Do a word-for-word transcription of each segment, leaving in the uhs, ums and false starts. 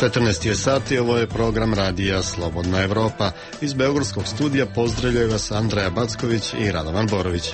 četrnaest je sati, ovo je program radija Slobodna Evropa. Iz beogradskog studija pozdravljaju vas Andreja Backović i Radovan Borović.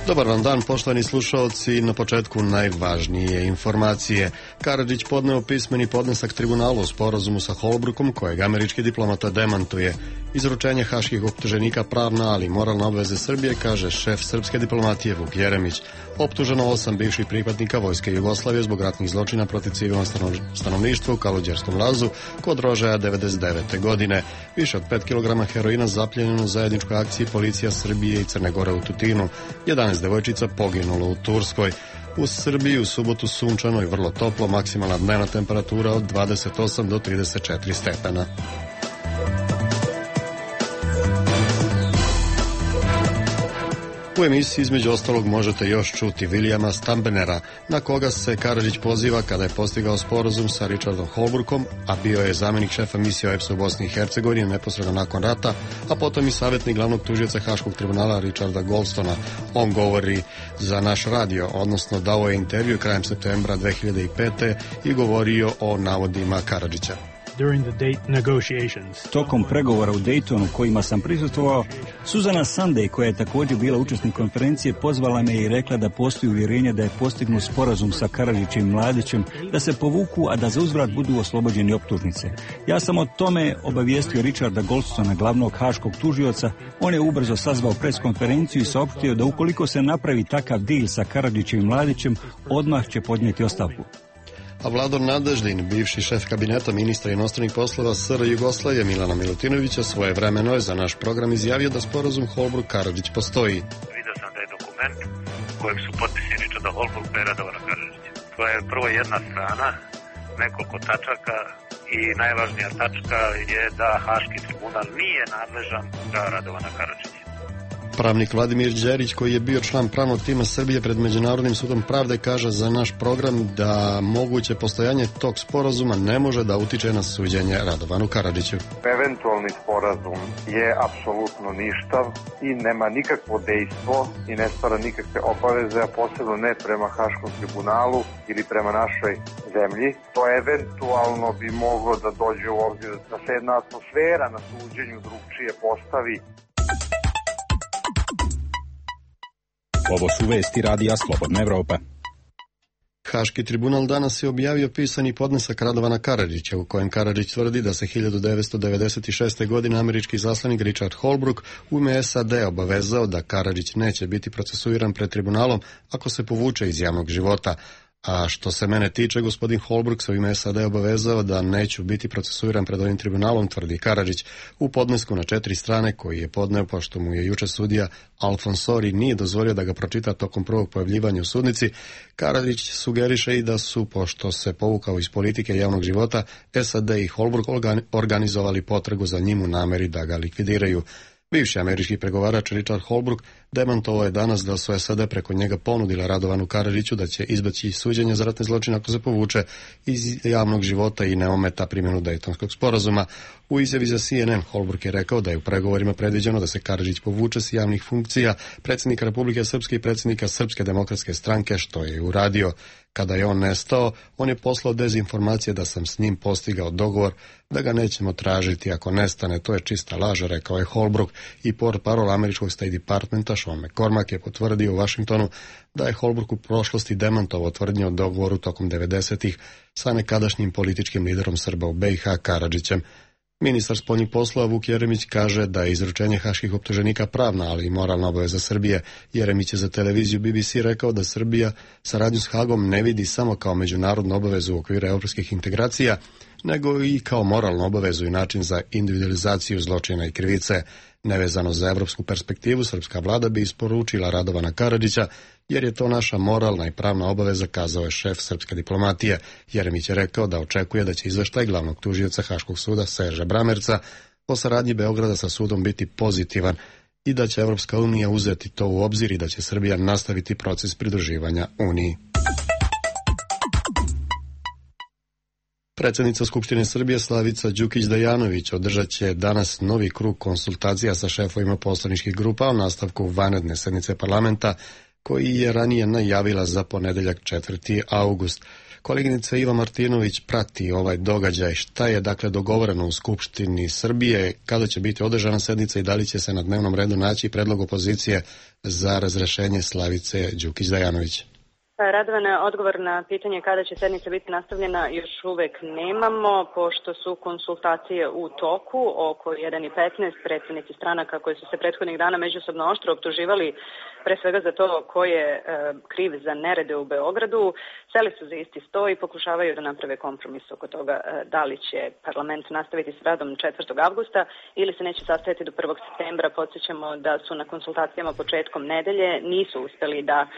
Dobar vam dan, poštovani slušaoci. Na početku najvažnije informacije. Karadžić podneo pismeni podnesak tribunalu o sporazumu sa Holbrookom, kojeg američki diplomata demantuje. Izručenje haških optuženika pravna, ali moralna obveze Srbije, kaže šef srpske diplomatije Vuk Jeremić. Optuženo osam bivših pripadnika Vojske Jugoslavije zbog ratnih zločina protiv civilnog stanovništva u Kaluđerskom lazu kod Rožaja devedeset devete. godine. Više od pet kilograma heroina zapljenjeno u zajedničkoj akciji policija Srbije i Crne Gore u Tutinu. jedanaest devojčica poginulo u Turskoj. U Srbiji u subotu sunčano i vrlo toplo, maksimalna dnevna temperatura od dvadeset osam do trideset četiri stepena. U emisiji između ostalog možete još čuti Vilijama Stambenera, na koga se Karadžić poziva kada je postigao sporazum sa Richardom Holbrookom, a bio je zamjenik šefa misije O E P S-a u Bosni i Hercegovini neposredno nakon rata, a potom i savjetnik glavnog tužioca Haškog tribunala Richarda Goldstona. On govori za naš radio, odnosno dao je intervju krajem septembra dve hiljade pete. i govorio o navodima Karadžića. Tokom pregovora u Daytonu kojima sam prisustvovao, Suzana Sunday, koja je također bila učesnik konferencije, pozvala me i rekla da postoji uvjerenje da je postignut sporazum sa Karadžićem i Mladićem, da se povuku, a da za uzvrat budu oslobođeni optužnice. Ja sam o tome obavijestio Richarda Goldstona, glavnog haškog tužioca. On je ubrzo sazvao preskonferenciju i saopštio da ukoliko se napravi takav dil sa Karadžićem i Mladićem, odmah će podnijeti ostavku. A Vlador Nadeždin, bivši šef kabineta ministra inostranih poslova S R Jugoslavije Milana Milutinovića, svojevremeno je za naš program izjavio da sporazum Holbrooke-Karadžić postoji. Vidio sam da je dokument kojeg su potpisi Richarda Holbrooka i Radovana Karadžića. To je prvo jedna strana, nekoliko tačaka i najvažnija tačka je da Haški tribunal nije nadležan za Radovana Karadžića. Pravnik Vladimir Đerić, koji je bio član pravnog tima Srbije pred Međunarodnim sudom pravde, kaže za naš program da moguće postojanje tog sporazuma ne može da utiče na suđenje Radovanu Karadžiću. Eventualni sporazum je apsolutno ništav i nema nikakvo dejstvo i ne stvara nikakve obaveze, a posebno ne prema Haškom tribunalu ili prema našoj zemlji. To eventualno bi moglo da dođe u obzir da se jedna atmosfera na suđenju drugčije postavi. Ovo su vesti radija Slobodna Evropa. Haški tribunal danas je objavio pisani podnesak Radovana Karadžića, u kojem Karadžić tvrdi da se hiljadu devetsto devedeset šeste. godine američki izaslanik Richard Holbrooke u ime S A D obavezao da Karadžić neće biti procesuiran pred tribunalom ako se povuče iz javnog života. A što se mene tiče, gospodin Holbrooke se u ime S A D obavezao da neću biti procesuiran pred ovim tribunalom, tvrdi Karadžić. U podnesku na četiri strane koji je podneo, pošto mu je juče sudija Alfonsori nije dozvolio da ga pročita tokom prvog pojavljivanja u sudnici, Karadžić sugeriše i da su, pošto se povukao iz politike javnog života, S A D i Holbrooke organizovali potragu za njim u nameri da ga likvidiraju. Bivši američki pregovarač Richard Holbrooke demantovao je danas da su S A D preko njega ponudila Radovanu Karadžiću da će izbeći suđenje za ratne zločine ako se povuče iz javnog života i ne ometa primjenu Dejtonskog sporazuma. U izjavi za C N N Holbrooke je rekao da je u pregovorima predviđeno da se Karadžić povuče s javnih funkcija predsjednika Republike Srpske i predsjednika Srpske demokratske stranke, što je uradio. Kada je on nestao, on je poslao dezinformacije da sam s njim postigao dogovor da ga nećemo tražiti ako nestane. To je čista laž, rekao je Holbrooke, i portparol američkog State Departmenta Sean McCormack je potvrdio u Washingtonu da je Holbrooke u prošlosti demantovao tvrdnje o dogovoru tokom devedesetih sa nekadašnjim političkim liderom Srba u B i H Karadžićem. Ministar spoljnih poslova Vuk Jeremić kaže da je izručenje haških optuženika pravna, ali i moralna obaveza Srbije. Jeremić je za televiziju B B C rekao da Srbija saradnju s Hagom ne vidi samo kao međunarodnu obavezu u okviru evropskih integracija, nego i kao moralnu obavezu i način za individualizaciju zločina i krivice. Nevezano za evropsku perspektivu, srpska vlada bi isporučila Radovana Karadžića, jer je to naša moralna i pravna obaveza, kazao je šef srpske diplomatije. Jeremić je rekao da očekuje da će izveštaj glavnog tužioca Haškog suda Serža Bramerca o saradnji Beograda sa sudom biti pozitivan i da će Evropska unija uzeti to u obzir i da će Srbija nastaviti proces pridruživanja Uniji. Predsjednica Skupštine Srbije Slavica Đukić-Dejanović održat će danas novi krug konsultacija sa šefovima poslaničkih grupa o nastavku vanredne sednice parlamenta koji je ranije najavila za ponedeljak četvrti august. Koleginica Iva Martinović prati ovaj događaj. Šta je dakle dogovoreno u Skupštini Srbije, kada će biti održana sednica i da li će se na dnevnom redu naći predlog opozicije za razrešenje Slavice Đukić-Dejanović? Radovane, odgovor na pitanje kada će sednica biti nastavljena još uvek nemamo, pošto su konsultacije u toku oko jedan i petnaest. Predsjednici stranaka koji su se prethodnih dana međusobno oštro optuživali pre svega za to ko je e, kriv za nerede u Beogradu, seli su za isti sto i pokušavaju da naprave kompromis oko toga e, da li će parlament nastaviti s radom četvrtog avgusta ili se neće sastajati do prvog septembra. Podsjećamo da su na konsultacijama početkom nedelje nisu uspeli da e,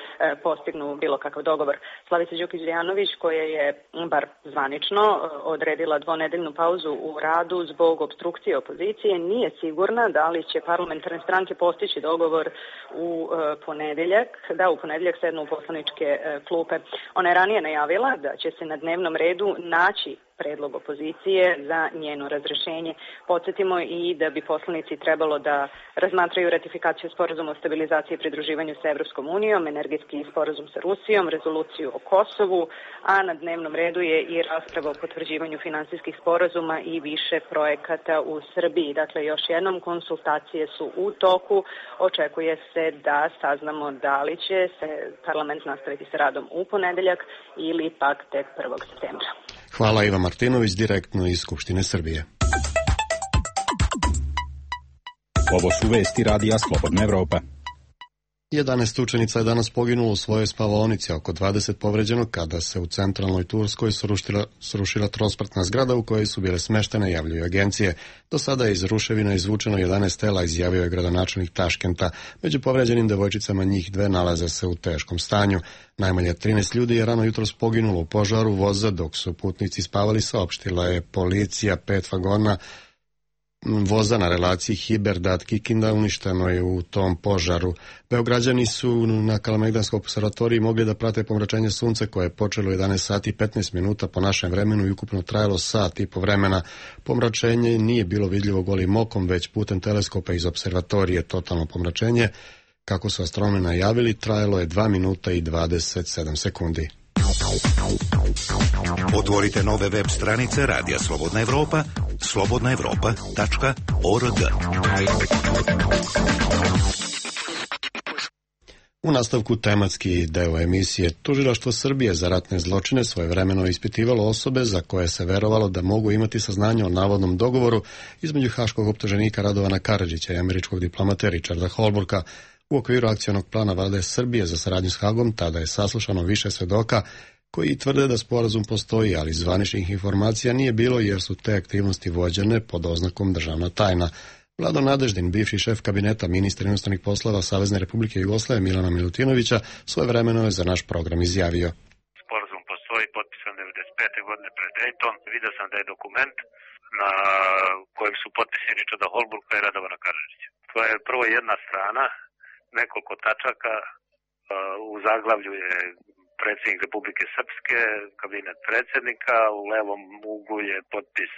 postignu bilo kakav dogovor. Slavica Đukić-Dejanović, koja je bar zvanično odredila dvonedeljnu pauzu u radu zbog obstrukcije opozicije, nije sigurna da li će parlamentarne stranke postići dogovor u e, ponedeljak, da u ponedeljak sednu u poslaničke e, klupe. Ona je ranije najavila da će se na dnevnom redu naći predlog opozicije za njeno razrešenje. Podsjetimo i da bi poslanici trebalo da razmatraju ratifikaciju sporazuma o stabilizaciji i pridruživanju sa Evropskom unijom, energetski sporazum sa Rusijom, rezoluciju o Kosovu, a na dnevnom redu je i rasprava o potvrđivanju finansijskih sporazuma i više projekata u Srbiji. Dakle, još jednom, konsultacije su u toku. Očekuje se da saznamo da li će se parlament nastaviti sa radom u ponedeljak ili pak tek prvog septembra. Hvala, Iva Martinović, direktno iz Skupštine Srbije. Ovo su vesti radija Slobodna Evropa. jedanaest učenica je danas poginulo u svojoj spavaonici, oko dvadeset povređeno kada se u centralnoj Turskoj srušila, srušila trospratna zgrada u kojoj su bile smeštene, javljaju agencije. Do sada je iz ruševina izvučeno jedanaest tela, izjavio je gradonačelnik Taškenta. Među povređenim devojčicama njih dve nalaze se u teškom stanju. Najmanje trinaest ljudi je rano jutros poginulo u požaru voza dok su putnici spavali, saopštila je policija. Pet vagona voza na relaciji Hiberdad-Kikinda uništeno je u tom požaru. Beograđani su na Kalemegdanskoj observatoriji mogli da prate pomračenje sunca koje je počelo u jedanaest sati i petnaest minuta po našem vremenu i ukupno trajalo sat i po vremena. Pomračenje nije bilo vidljivo golim okom, već putem teleskopa iz observatorije. Totalno pomračenje, kako su astronomi najavili, trajalo je dva minuta i dvadeset sedam sekundi. Otvorite nove web stranice Radija Slobodna Evropa, slobodna evropa tačka org. U nastavku tematski deo emisije, Tužilaštvo Srbije za ratne zločine svojevremeno ispitivalo osobe za koje se verovalo da mogu imati saznanje o navodnom dogovoru između haškog optuženika Radovana Karadžića i američkog diplomata Richarda Holbrooka. U okviru akcionog plana Vlade Srbije za saradnju s Hagom tada je saslušano više svedoka koji tvrde da sporazum postoji, ali zvaničnih informacija nije bilo jer su te aktivnosti vođene pod oznakom državna tajna. Vlado Nadeždin, bivši šef kabineta ministra inostranih poslova Savezne Republike Jugoslavije Milana Milutinovića, svojevremeno je za naš program izjavio. Sporazum postoji, potpisan devedeset pete godine pred Dayton. Vidio sam da je dokument na kojem su potpisani Richarda Holbrooka i Radovana Karadžića. To je prvo jedna strana, nekoliko tačaka, u zaglavlju je predsjednik Republike Srpske, kabinet predsjednika, u levom uglu je potpis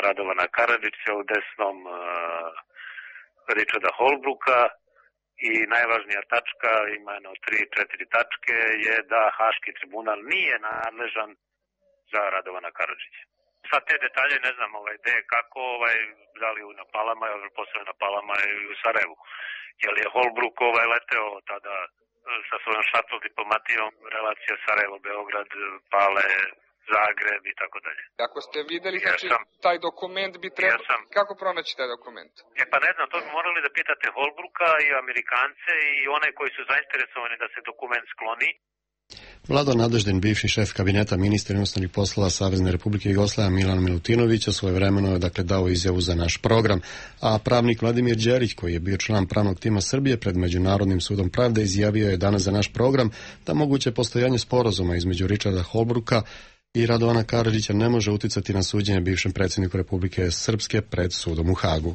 Radovana Karadžića, u desnom Richarda Holbrooka i najvažnija tačka, ima jedno tri, četiri tačke, je da Haški tribunal nije nadležan za Radovana Karadžića. Sad te detalje ne znam ovaj, gde, kako, ovaj, da li na Palama, posle na Palama i u Sarajevu. Jer je Holbrook ovaj, leteo tada sa svojom šatl diplomatijom, relacija Sarajevo, Beograd, Pale, Zagreb i tako dalje. Ako ste videli, znači, taj dokument bi trebalo... Sam... Kako pronaći taj dokument? E pa ne znam, to bi morali da pitate Holbrooka i Amerikance i one koji su zainteresovani da se dokument skloni. Vlado Nadeždin, bivši šef kabineta ministra inostranih poslova Savezne Republike Jugoslavije Milan Milutinovića, svojevremeno je dakle dao izjavu za naš program, a pravnik Vladimir Đerić, koji je bio član pravnog tima Srbije pred Međunarodnim sudom pravde, izjavio je danas za naš program da moguće postojanje sporazuma između Richarda Holbrooka i Radovana Karadžića ne može uticati na suđenje bivšem predsjedniku Republike Srpske pred sudom u Hagu.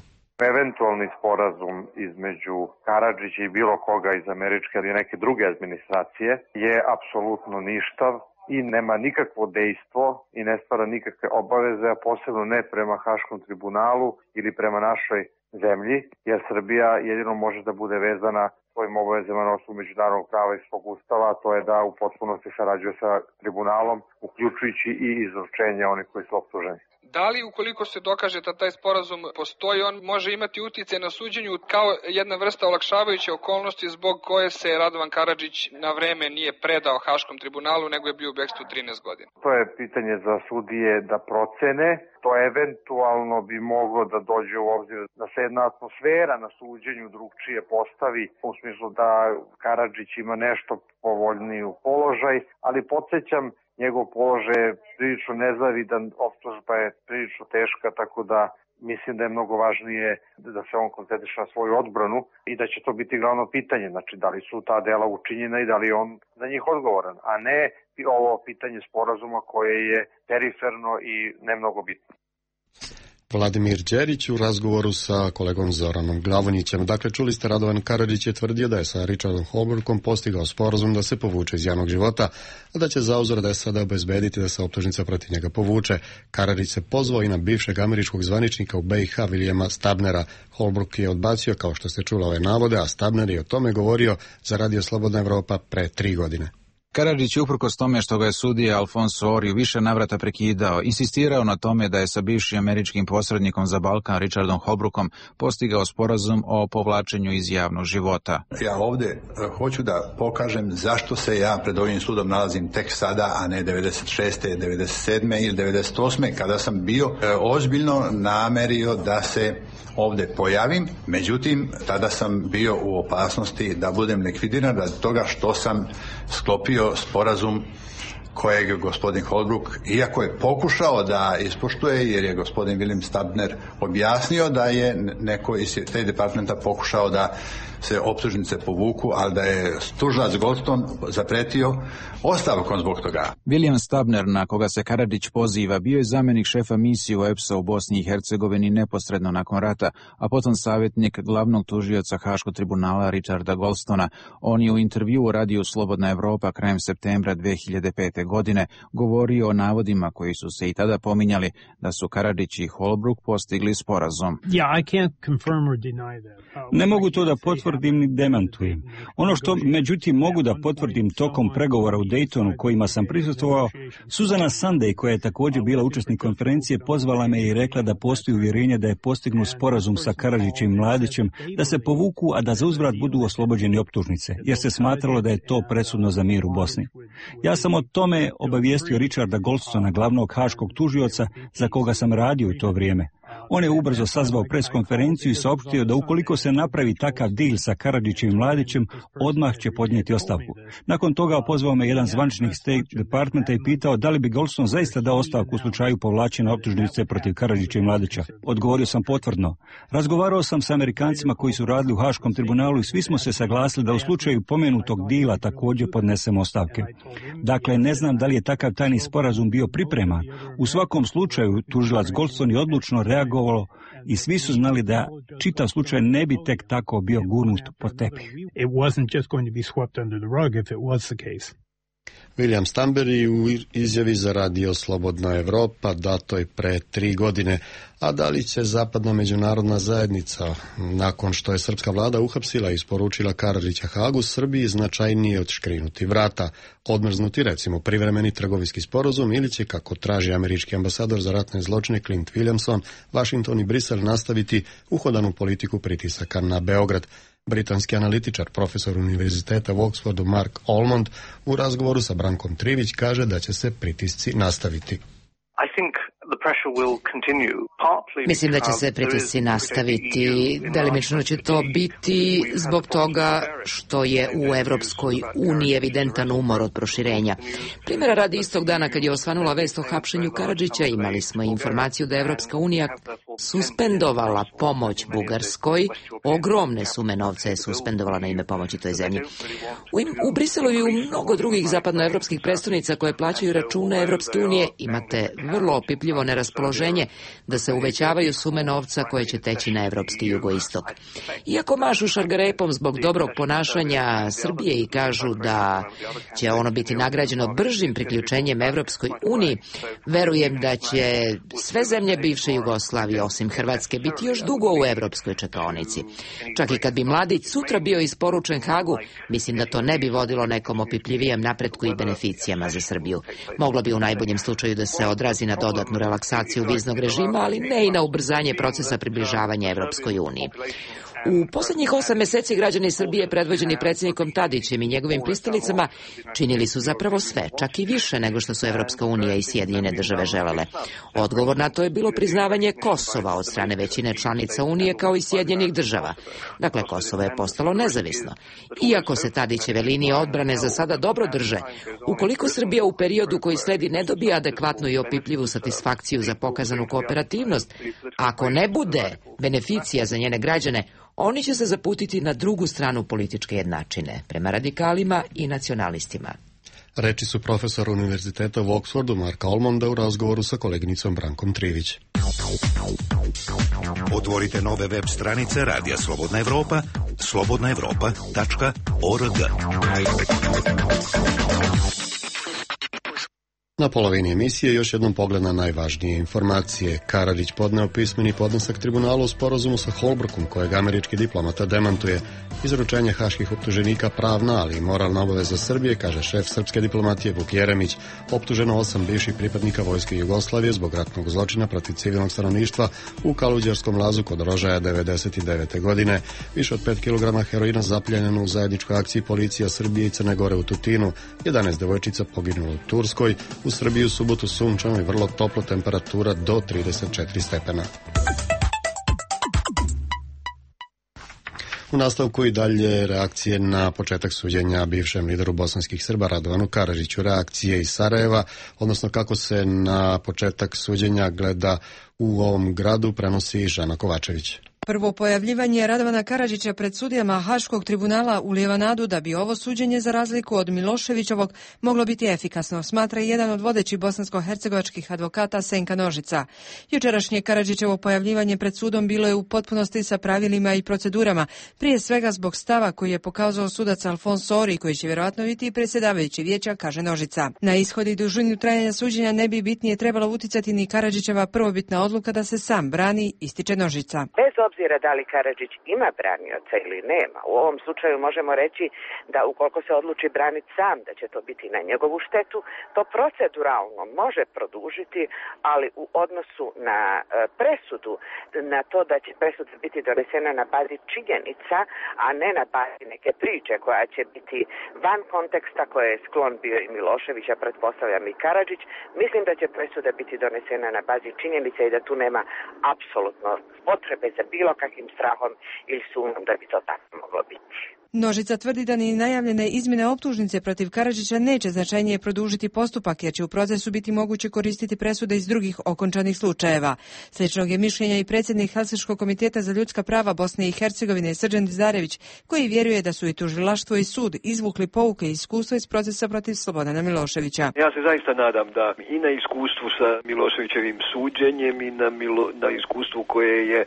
Eventualni sporazum između Karadžića i bilo koga iz američke ili neke druge administracije je apsolutno ništav i nema nikakvo dejstvo i ne stvara nikakve obaveze, a posebno ne prema Haškom tribunalu ili prema našoj zemlji, jer Srbija jedino može da bude vezana svojim obavezama na osnovu međunarodnog prava i svog ustava, to je da u potpunosti sarađuje sa tribunalom, uključujući i izručenje onih koji su optuženi. Da li ukoliko se dokaže da taj sporazum postoji, on može imati uticaj na suđenju kao jedna vrsta olakšavajuće okolnosti zbog koje se Radovan Karadžić na vreme nije predao Haškom tribunalu, nego je bio u bekstvu trinaest godina? To je pitanje za sudije da procene. To eventualno bi moglo da dođe u obzir da se jedna atmosfera na suđenju drugčije postavi, u smislu da Karadžić ima nešto povoljniju položaj, ali podsjećam, njegov položaj je prilično nezavidan, optužba je prilično teška, tako da mislim da je mnogo važnije da se on koncentriše na svoju odbranu i da će to biti glavno pitanje, znači da li su ta dela učinjena i da li je on za njih odgovoran, a ne ovo pitanje sporazuma koje je periferno i ne mnogo bitno. Vladimir Đerić u razgovoru sa kolegom Zoranom Glavonjićem. Dakle, čuli ste, Radovan Karadžić je tvrdio da je sa Richardom Holbrookom postigao sporazum da se povuče iz javnog života, a da će zauzvrat S A D obezbediti da se optužnica protiv njega povuče. Karadžić se pozvao i na bivšeg američkog zvaničnika u B i H Williama Stabnera. Holbrook je odbacio, kao što ste čuli, ove navode, a Stabner je o tome govorio za Radio Slobodna Evropa pre tri godine. Karadžić je uprkos tome što ga je sudija Alfonso Ori u više navrata prekidao, insistirao na tome da je sa bivšim američkim posrednikom za Balkan Richardom Holbrookom postigao sporazum o povlačenju iz javnog života. Ja ovdje hoću da pokažem zašto se ja pred ovim sudom nalazim tek sada, a ne devedeset šeste, devedeset sedme ili devedeset osme kada sam bio ozbiljno namerio da se ovdje pojavim. Međutim, tada sam bio u opasnosti da budem likvidiran radi toga što sam sklopio sporazum kojeg je gospodin Holbrook, iako je pokušao da ispoštuje, jer je gospodin William Stabner objasnio da je neko iz te departmenta pokušao da se optužnice povuku, ali da je tužilac Goldstone zapretio ostavkom zbog toga. William Stabner, na koga se Karadžić poziva, bio je zamjenik šefa misije u E P S A u Bosni i Hercegovini neposredno nakon rata, a potom savjetnik glavnog tužioca Haškog tribunala Richarda Goldstona. On je u intervju u radiju Slobodna Evropa krajem septembra dve hiljade pete. godine govorio o navodima koji su se i tada pominjali da su Karadžić i Holbrook postigli sporazum. Ne mogu to da potvrdim ni demantujem. Ono što međutim mogu da potvrdim tokom pregovora u Daytonu kojima sam prisustvovao, Suzana Sunday, koja je također bila učesnik konferencije, pozvala me i rekla da postoji uvjerenje da je postignut sporazum sa Karadžićem i Mladićem da se povuku, a da za uzvrat budu oslobođeni optužnice, jer se smatralo da je to presudno za mir u Bosni. Ja sam o tome obavijestio Richarda Goldstona, glavnog haškog tužioca za koga sam radio u to vrijeme. On je ubrzo sazvao preskonferenciju i saopštio da ukoliko se napravi takav dil sa Karadžićem i Mladićem, odmah će podnijeti ostavku. Nakon toga pozvao me jedan zvaničnik State Departmenta i pitao da li bi Goldstone zaista dao ostavku u slučaju povlačenja optužnice protiv Karadžića i Mladića. Odgovorio sam potvrdno. Razgovarao sam sa Amerikancima koji su radili u Haškom tribunalu i svi smo se saglasili da u slučaju pomenutog dila također podnesemo ostavke. Dakle, ne znam da li je takav tajni sporazum bio pripreman. U svakom slučaju, tužilac Goldstone je odlučno reagovao i svi su znali da čitav slučaj ne bi tek tako bio gurnut pod tepih. William Stabner u izjavi za Radio Slobodna Evropa datoj pre tri godine. A da li će zapadna međunarodna zajednica, nakon što je srpska vlada uhapsila i isporučila Karadžića Hagu, Srbiji značajnije odškrinuti vrata, odmrznuti recimo privremeni trgovinski sporazum, ili će, kako traži američki ambasador za ratne zločine Clint Williamson, Washington i Brisel nastaviti uhodanu politiku pritisaka na Beograd. Britanski analitičar, profesor univerziteta u Oxfordu Mark Almond u razgovoru sa Brankom Trivić kaže da će se pritisci nastaviti. Mislim da će se pritisci nastaviti. Delimično će to biti zbog toga što je u Evropskoj uniji evidentan umor od proširenja. Primjera radi, istog dana kad je osvanula vest o hapšenju Karadžića, imali smo informaciju da je Evropska unija suspendovala pomoć Bugarskoj. Ogromne sume novca je suspendovala na ime pomoći toj zemlji. U, im, u Briselu i u mnogo drugih zapadnoevropskih prestolnica koje plaćaju račune Evropske unije imate vrlo opipljivo neraspoloženje da se uvećavaju sume novca koje će teći na evropski jugoistok. Iako mašu šargarepom zbog dobrog ponašanja Srbije i kažu da će ono biti nagrađeno bržim priključenjem Evropskoj uniji, verujem da će sve zemlje bivše Jugoslavije osim Hrvatske, biti još dugo u evropskoj čekaonici. Čak i kad bi mladić sutra bio isporučen Hagu, mislim da to ne bi vodilo nekom opipljivijem napretku i beneficijama za Srbiju. Moglo bi u najboljem slučaju da se odrazi na dodatnu relaksaciju viznog režima, ali ne i na ubrzanje procesa približavanja Evropskoj uniji. U poslednjih osam meseci građani Srbije, predvođeni predsjednikom Tadićem i njegovim pristalicama, činili su zapravo sve, čak i više nego što su Evropska unija i Sjedinjene države želele. Odgovor na to je bilo priznavanje Kosova od strane većine članica Unije kao i Sjedinjenih država. Dakle, Kosovo je postalo nezavisno. Iako se Tadićeve linije odbrane za sada dobro drže, ukoliko Srbija u periodu koji sledi ne dobije adekvatnu i opipljivu satisfakciju za pokazanu kooperativnost, ako ne bude beneficija za njene građane, oni će se zaputiti na drugu stranu političke jednačine, prema radikalima i nacionalistima. Reči su profesor Univerziteta u Oksfordu Marka Olmonda u razgovoru sa koleginicom Brankom Trivić. Otvorite nove web stranice Radija Slobodna Evropa, slobodna evropa tačka org. Na polovini emisije još jednom pogled na najvažnije informacije. Karadžić podneo pismeni podnesak tribunalu u sporazumu sa Holbrookom, kojeg američki diplomata demantuje. Izručenje haških optuženika pravna, ali i moralna obaveza Srbije, kaže šef srpske diplomatije Vuk Jeremić. Optuženo osam bivših pripadnika vojske Jugoslavije zbog ratnog zločina protiv civilnog stanovništva u Kaluđerskom lazu kod Rožaja devedeset devete. godine. Više od pet kilograma heroina zapljenjeno u zajedničkoj akciji policija Srbije i Crne Gore u Tutinu. jedanaest devojčica poginulo u Turskoj. U Srbiji u subotu sunčano i vrlo toplo, temperatura do trideset četiri stepena. U nastavku i dalje reakcije na početak suđenja bivšem lideru bosanskih Srba Radovanu Karadžiću. Reakcije iz Sarajeva, odnosno kako se na početak suđenja gleda u ovom gradu, prenosi Žana Kovačević. Prvo pojavljivanje Radovana Karadžića pred sudijama Haškog tribunala ulijeva nadu da bi ovo suđenje, za razliku od Miloševićovog, moglo biti efikasno, smatra i jedan od vodećih bosansko-hercegovačkih advokata Senka Nožica. Jučerašnje Karadžićevo pojavljivanje pred sudom bilo je u potpunosti sa pravilima i procedurama, prije svega zbog stava koji je pokazao sudac Alfons Sori, koji će vjerovatno biti predsjedavajući vijeća, kaže Nožica. Na ishod i dužinu trajanja suđenja ne bi bitnije trebalo uticati ni Karadžićeva prvobitna odluka da se sam brani, ističe Nožica. Bez obzira da li Karadžić ima branioca ili nema, u ovom slučaju možemo reći da ukoliko se odluči braniti sam, da će to biti na njegovu štetu, to proceduralno može produžiti, ali u odnosu na presudu, na to da će presuda biti donesena na bazi činjenica, a ne na bazi neke priče koja će biti van konteksta, koje je sklon bio i Milošević, a pretpostavljam i Karadžić, mislim da će presuda biti donesena na bazi činjenica i da tu nema apsolutno potrebe za bilo kakvim strahom ili sumnjom da bi to tako moglo biti. Nožica tvrdi da ni najavljene izmjene optužnice protiv Karadžića neće značajnije produžiti postupak, jer će u procesu biti moguće koristiti presude iz drugih okončanih slučajeva. Sličnog je mišljenja i predsjednik Helsinškog komiteta za ljudska prava Bosne i Hercegovine Srđan Dizarević, koji vjeruje da su i tužilaštvo i sud izvukli pouke i iskustva iz procesa protiv Slobodana Miloševića. Ja se zaista nadam da i na iskustvu sa Miloševićevim suđenjem i na, Milo, na iskustvu koje je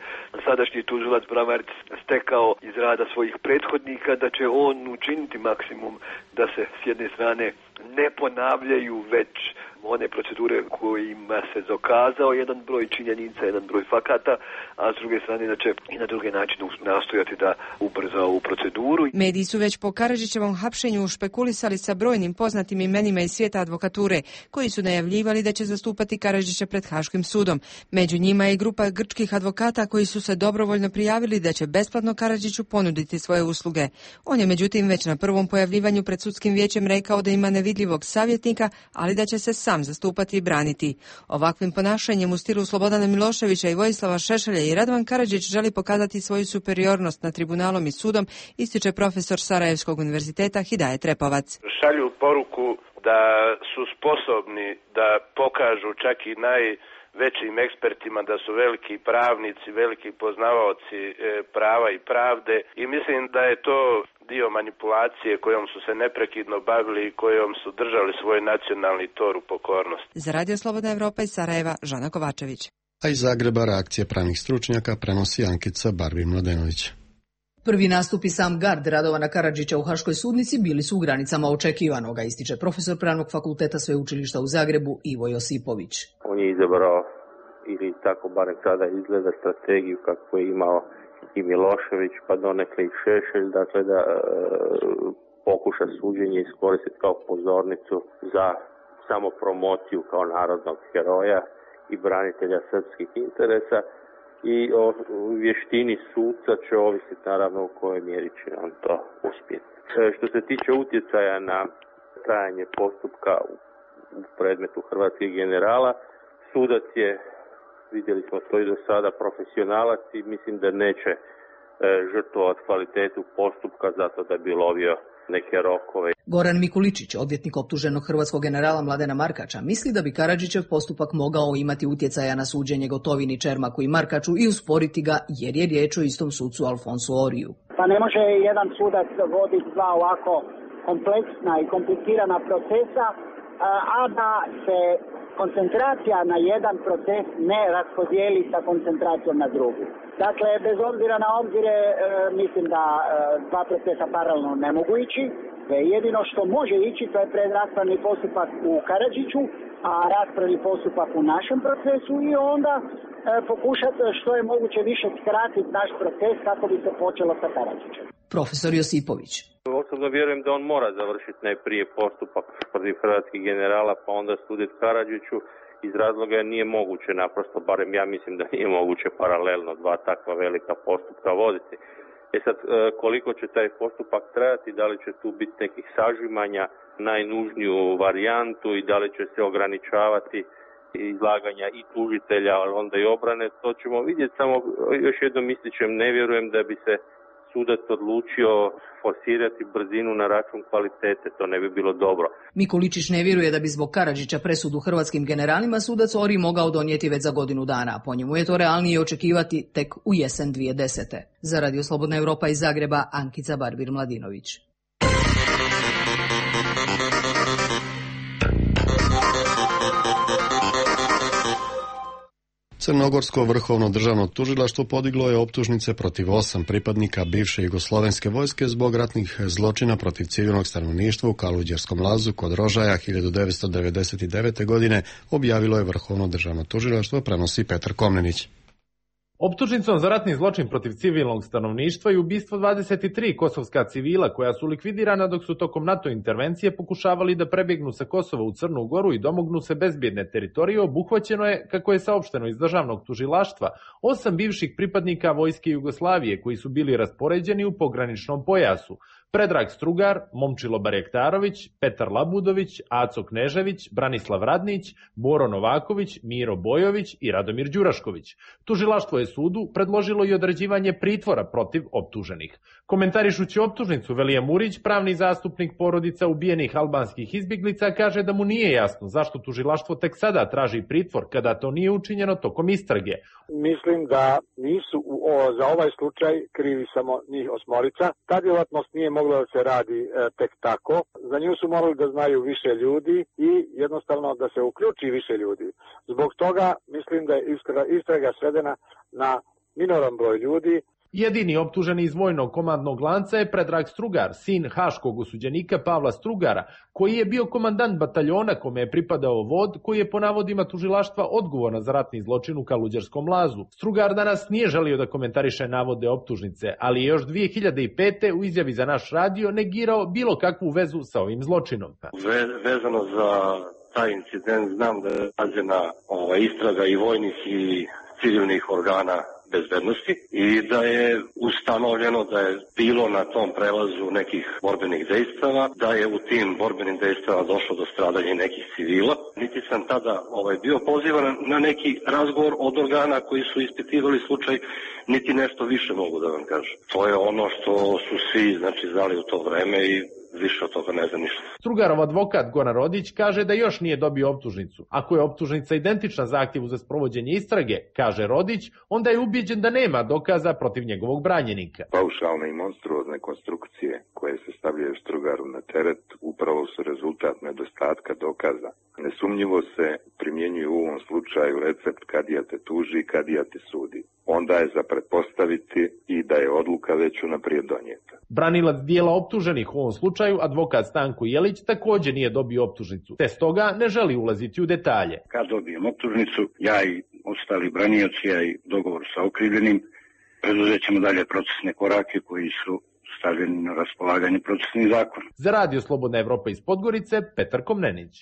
sadašnji tužilac Bramarić stekao iz rada svojih prethodnika, da će on učiniti maksimum da se s jedne strane ne ponavljaju već one procedure kojima se dokazao jedan broj činjenica, jedan broj fakata, a s druge strane da će i na druge načine nastojati da ubrza ovu proceduru. Mediji su već po Karadžićevom hapšenju špekulisali sa brojnim poznatim imenima iz svijeta advokature, koji su najavljivali da će zastupati Karadžića pred Haškim sudom. Među njima je grupa grčkih advokata koji su se dobrovoljno prijavili da će besplatno Karadžiću ponuditi svoje usluge. On je međutim već na prvom pojavljivanju pred sudskim vijećem rekao da ima nevidljivog savjetnika, ali da će se sam zastupati i braniti. Ovakvim ponašanjem u stilu Slobodana Miloševića i Vojislava Šešelja i Radovan Karadžić želi pokazati svoju superiornost nad tribunalom i sudom, ističe profesor Sarajevskog univerziteta Hidajet Repovac. Šalju poruku da su sposobni da pokažu čak i najvećim ekspertima da su veliki pravnici, veliki poznavaoci prava i pravde, i mislim da je to dio manipulacije kojom su se neprekidno bavili i kojom su držali svoj nacionalni tor u pokornosti. Za Radio Slobodna Evropa iz Sarajeva, Žana Kovačević. A iz Zagreba reakcije pravnih stručnjaka prenosi Ankica Barbi Mladenović. Prvi nastupi sam gard Radovana Karadžića u Haškoj sudnici bili su u granicama očekivanoga, ističe profesor Pravnog fakulteta Sveučilišta u Zagrebu Ivo Josipović. On je izabrao ili tako barem sada izgleda, strategiju kako je imao i Milošević, pa donekle i Šešelj, dakle da e, pokuša suđenje iskoristiti kao pozornicu za samopromociju kao narodnog heroja i branitelja srpskih interesa, i o vještini suca će ovisiti naravno u kojoj mjeri će on to uspjeti. E, što se tiče utjecaja na trajanje postupka u, u predmetu hrvatskih generala, sudac je, vidjeli smo to i do sada, profesionalac i mislim da neće e, žrtvovati kvalitetu postupka zato da bi lovio neke rokove. Goran Mikuličić, odvjetnik optuženog hrvatskog generala Mladena Markača, misli da bi Karadžićev postupak mogao imati utjecaja na suđenje Gotovini, Čermaku i Markaču i usporiti ga jer je riječ o istom sucu Alfonsu Oriju. Pa ne može jedan sudac voditi dva ovako kompleksna i komplicirana procesa, a da se koncentracija na jedan proces ne raspodijeli sa koncentracijom na drugi. Dakle, bez obzira na obzire, e, mislim da e, dva procesa paralelno ne mogu ići. Jedino što može ići, to je predraspravni postupak u Karadžiću, a raspravni postupak u našem procesu i onda e, pokušati što je moguće više skratiti naš proces kako bi se počelo sa Karadžićem. Profesor Josipović. Osobno vjerujem da on mora završiti najprije postupak protiv hrvatskih generala, pa onda suditi Karadžiću, iz razloga jer nije moguće naprosto, barem ja mislim da nije moguće paralelno dva takva velika postupka voditi. E sad, koliko će taj postupak trajati, da li će tu biti nekih sažimanja, najnužniju varijantu i da li će se ograničavati izlaganja i tužitelja, ali onda i obrane, to ćemo vidjeti. Samo još jednom ističem, ne vjerujem da bi se sudac odlučio forsirati brzinu na račun kvalitete, to ne bi bilo dobro. Mikuličić ne vjeruje da bi zbog Karadžića presudu hrvatskim generalima sudac Ori mogao donijeti već za godinu dana, a po njemu je to realnije očekivati tek u jesen dvije tisuće desete. Za Radio Slobodna Europa iz Zagreba, Ankica Barbir-Mladinović. Crnogorsko vrhovno državno tužilaštvo podiglo je optužnice protiv osam pripadnika bivše jugoslovenske vojske zbog ratnih zločina protiv civilnog stanovništva u Kaluđerskom lazu kod Rožaja hiljadu devetsto devedeset devete. godine, objavilo je vrhovno državno tužilaštvo, prenosi Petar Komnenić. Optužnicom za ratni zločin protiv civilnog stanovništva i ubistvo dvadeset tri kosovska civila koja su likvidirana dok su tokom NATO intervencije pokušavali da prebjegnu sa Kosova u Crnu Goru i domognu se bezbjedne teritorije, obuhvaćeno je, kako je saopšteno iz državnog tužilaštva, osam bivših pripadnika vojske Jugoslavije koji su bili raspoređeni u pograničnom pojasu. Predrag Strugar, Momčilo Barjektarović, Petar Labudović, Aco Knežević, Branislav Radnić, Boro Novaković, Miro Bojović i Radomir Đurašković. Tužilaštvo je sudu predložilo i određivanje pritvora protiv optuženih. Komentarišući optužnicu, Velija Murić, pravni zastupnik porodica ubijenih albanskih izbjeglica, kaže da mu nije jasno zašto tužilaštvo tek sada traži pritvor kada to nije učinjeno tokom istrage. Mislim da nisu o, za ovaj slučaj krivi samo njih osmorica. Ta djelatnost nije mogla da se radi e, tek tako. Za nju su morali da znaju više ljudi i jednostavno da se uključi više ljudi. Zbog toga mislim da je istraga, istraga svedena na minoran broj ljudi. Jedini optuženi iz vojnog komandnog lanca je Predrag Strugar, sin haškog osuđenika Pavla Strugara, koji je bio komandant bataljona kome je pripadao vod, koji je po navodima tužilaštva odgovorna za ratni zločin u Kaluđerskom lazu. Strugar danas nije želio da komentariše navode optužnice, ali je još dvije hiljade pete. u izjavi za naš radio negirao bilo kakvu vezu sa ovim zločinom. Ve, vezano za taj incident znam da je rađena ova istraga i vojnih i civilnih organa bezbednosti i da je ustanovljeno da je bilo na tom prelazu nekih borbenih dejstava, da je u tim borbenim dejstvama došlo do stradanja nekih civila. Niti sam tada ovaj, bio pozivan na neki razgovor od organa koji su ispitivali slučaj, niti nešto više mogu da vam kažem. To je ono što su svi znači, znali u to vreme i više od toga ne znam ništa. Strugarov advokat Goran Rodić kaže da još nije dobio optužnicu. Ako je optužnica identična zahtjevu za sprovođenje istrage, kaže Rodić, onda je ubijeđen da nema dokaza protiv njegovog branjenika. Paušalne i monstruozne konstrukcije koje se stavljaju Strugaru na teret upravo su rezultat nedostatka dokaza. Nesumnjivo se primjenjuje u ovom slučaju recept kadija te tuži, kadija te sudi. Onda je za pretpostaviti i da je odluka već unaprijed donijeta. Branilac dijela optuženih u ovom slučaju, advokat Stanko Jelić, također nije dobio optužnicu, te stoga ne želi ulaziti u detalje. Kad dobijem optužnicu, ja i ostali branioci, a i dogovor sa okrivljenim, preduzet ćemo dalje procesne korake koji su stavljeni na raspolaganje procesnih zakona. Za Radio Slobodna Evropa iz Podgorice, Petar Komnenić.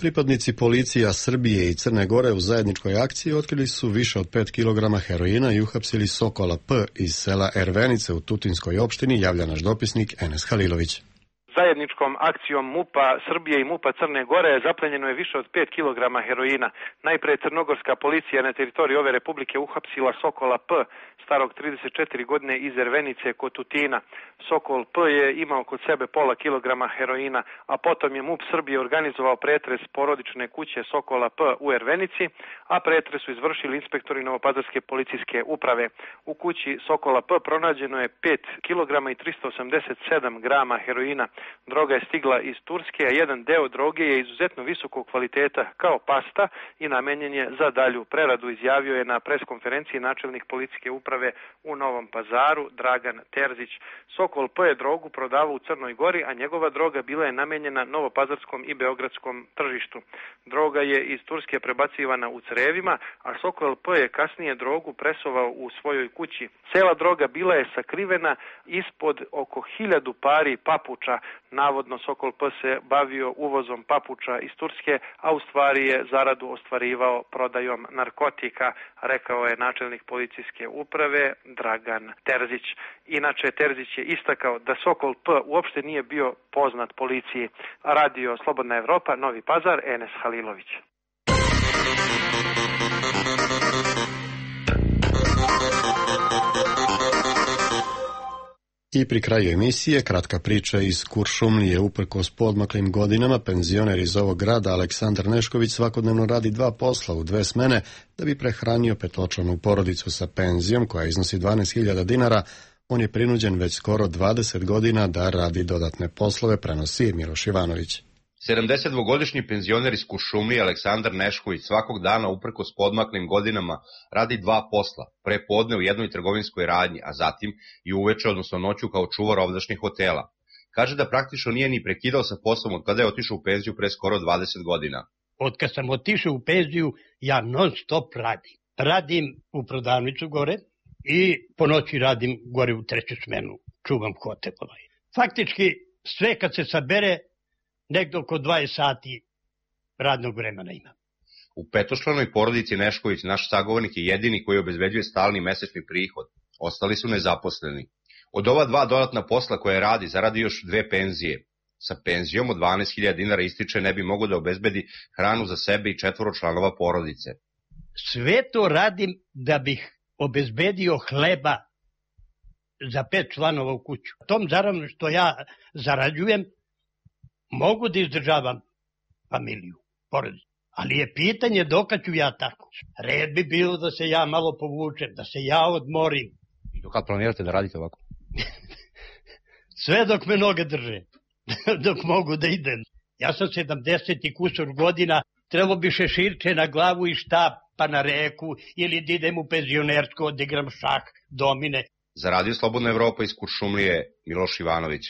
Pripadnici policija Srbije i Crne Gore u zajedničkoj akciji otkrili su više od pet kilograma heroina i uhapsili Sokola P iz sela Ervenice u Tutinskoj opštini, javlja naš dopisnik Enes Halilović. Zajedničkom akcijom MUP-a Srbije i MUP-a Crne Gore zaplenjeno je više od pet kilograma heroina. Najpre crnogorska policija na teritoriji ove republike uhapsila Sokola P, starog trideset četiri godine iz Ervenice kod Tutina. Sokol P je imao kod sebe pola kilograma heroina, a potom je MUP Srbije organizovao pretres porodične kuće Sokola P u Ervenici, a pretres su izvršili inspektori Novopazarske policijske uprave. U kući Sokola P pronađeno je pet kilograma i tristo osamdeset sedam grama heroina. Droga je stigla iz Turske, a jedan deo droge je izuzetno visokog kvaliteta kao pasta i namenjen je za dalju preradu, izjavio je na preskonferenciji načelnik policijske uprave u Novom Pazaru Dragan Terzić. Sokol P je drogu prodavao u Crnoj Gori, a njegova droga bila je namenjena novopazarskom i beogradskom tržištu. Droga je iz Turske prebacivana u crevima, a Sokol P je kasnije drogu presovao u svojoj kući. Cela droga bila je sakrivena ispod oko hiljadu pari papuča. Navodno Sokol P se bavio uvozom papuča iz Turske, a u stvari je zaradu ostvarivao prodajom narkotika, rekao je načelnik policijske uprave Dragan Terzić. Inače, Terzić je istakao da Sokol P uopšte nije bio poznat policiji. Radio Slobodna Evropa, Novi Pazar, Enes Halilović. I pri kraju emisije, kratka priča iz Kuršumlije. Uprkos poodmaklim godinama, penzioner iz ovog grada Aleksandar Nešković svakodnevno radi dva posla u dve smene da bi prehranio petočlanu porodicu sa penzijom koja iznosi dvanaest hiljada dinara. On je prinuđen već skoro dvadeset godina da radi dodatne poslove, prenosi Miloš Ivanović. sedamdesetdvogodišnji penzioner iz Kuršumlije Aleksandar Nešković svakog dana uprkos podmaklim godinama radi dva posla, pre podne u jednoj trgovinskoj radnji, a zatim i uveče, odnosno noću kao čuvar ovdašnjih hotela. Kaže da praktično nije ni prekidao sa poslom od kada je otišao u penziju pre skoro dvadeset godina. Od kad sam otišao u penziju, ja non stop radim. Radim u prodavnicu gore i po noći radim gore u treću smenu, čuvam hotel. Faktički sve kad se sabere, negdje oko dvadeset sati radnog vremena ima. U petočlanoj porodici Nešković naš sagovornik je jedini koji obezbeđuje stalni mesečni prihod. Ostali su nezaposleni. Od ova dva dodatna posla koje radi, zaradi još dve penzije. Sa penzijom od dvanaest hiljada dinara ističe ne bi mogo da obezbedi hranu za sebe i četvoro članova porodice. Sve to radim da bih obezbedio hleba za pet članova u kuću. Tom zaravno što ja zarađujem, mogu da izdržavam familiju, porodicu, ali je pitanje dokad ću ja tako. Red bi bilo da se ja malo povučem, da se ja odmorim. I dokad planirate da radite ovako? Sve dok me noge drže, dok mogu da idem. Ja sam sedamdeset i kusur godina, trebalo bi šeširče na glavu i štap, pa na reku, ili da idem u penzionersko, da igram šah, domine. Za Radio Slobodna Evropa iz Kuršumlije, Miloš Ivanović.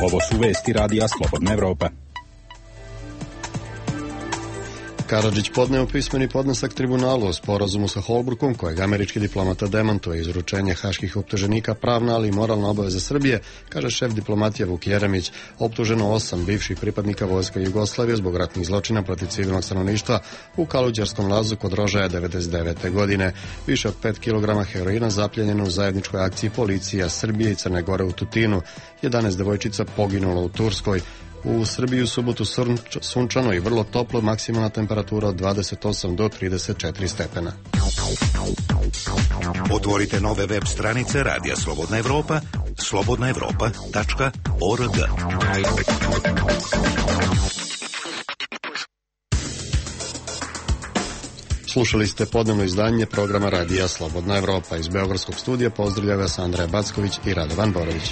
Ovo su vesti Radija Slobodna Evropa. Karadžić podneo pismeni podnesak tribunalu o sporazumu sa Holbrukom, kojeg američki diplomata demantuje. Izručenje haških optuženika pravna, ali i moralna obaveza Srbije, kaže šef diplomatije Vuk Jeremić. Optuženo osam bivših pripadnika vojske Jugoslavije zbog ratnih zločina protiv civilnog stanovništva u Kaluđerskom lazu kod Rožaja devedeset devete. godine. Više od pet kilograma heroina zapljenjeno u zajedničkoj akciji policija Srbije i Crne Gore u Tutinu. jedanaest devojčica poginulo u Turskoj. U Srbiji u subotu sunčano i vrlo toplo, maksimalna temperatura od dvadeset osam do trideset četiri stepena. Otvorite nove web stranice Radija Slobodna Evropa, slobodna evropa tačka org. Slušali ste podnevno izdanje programa Radija Slobodna Evropa. Iz Beogradskog studija pozdravlja vas Andreja Backović i Radovan Borović.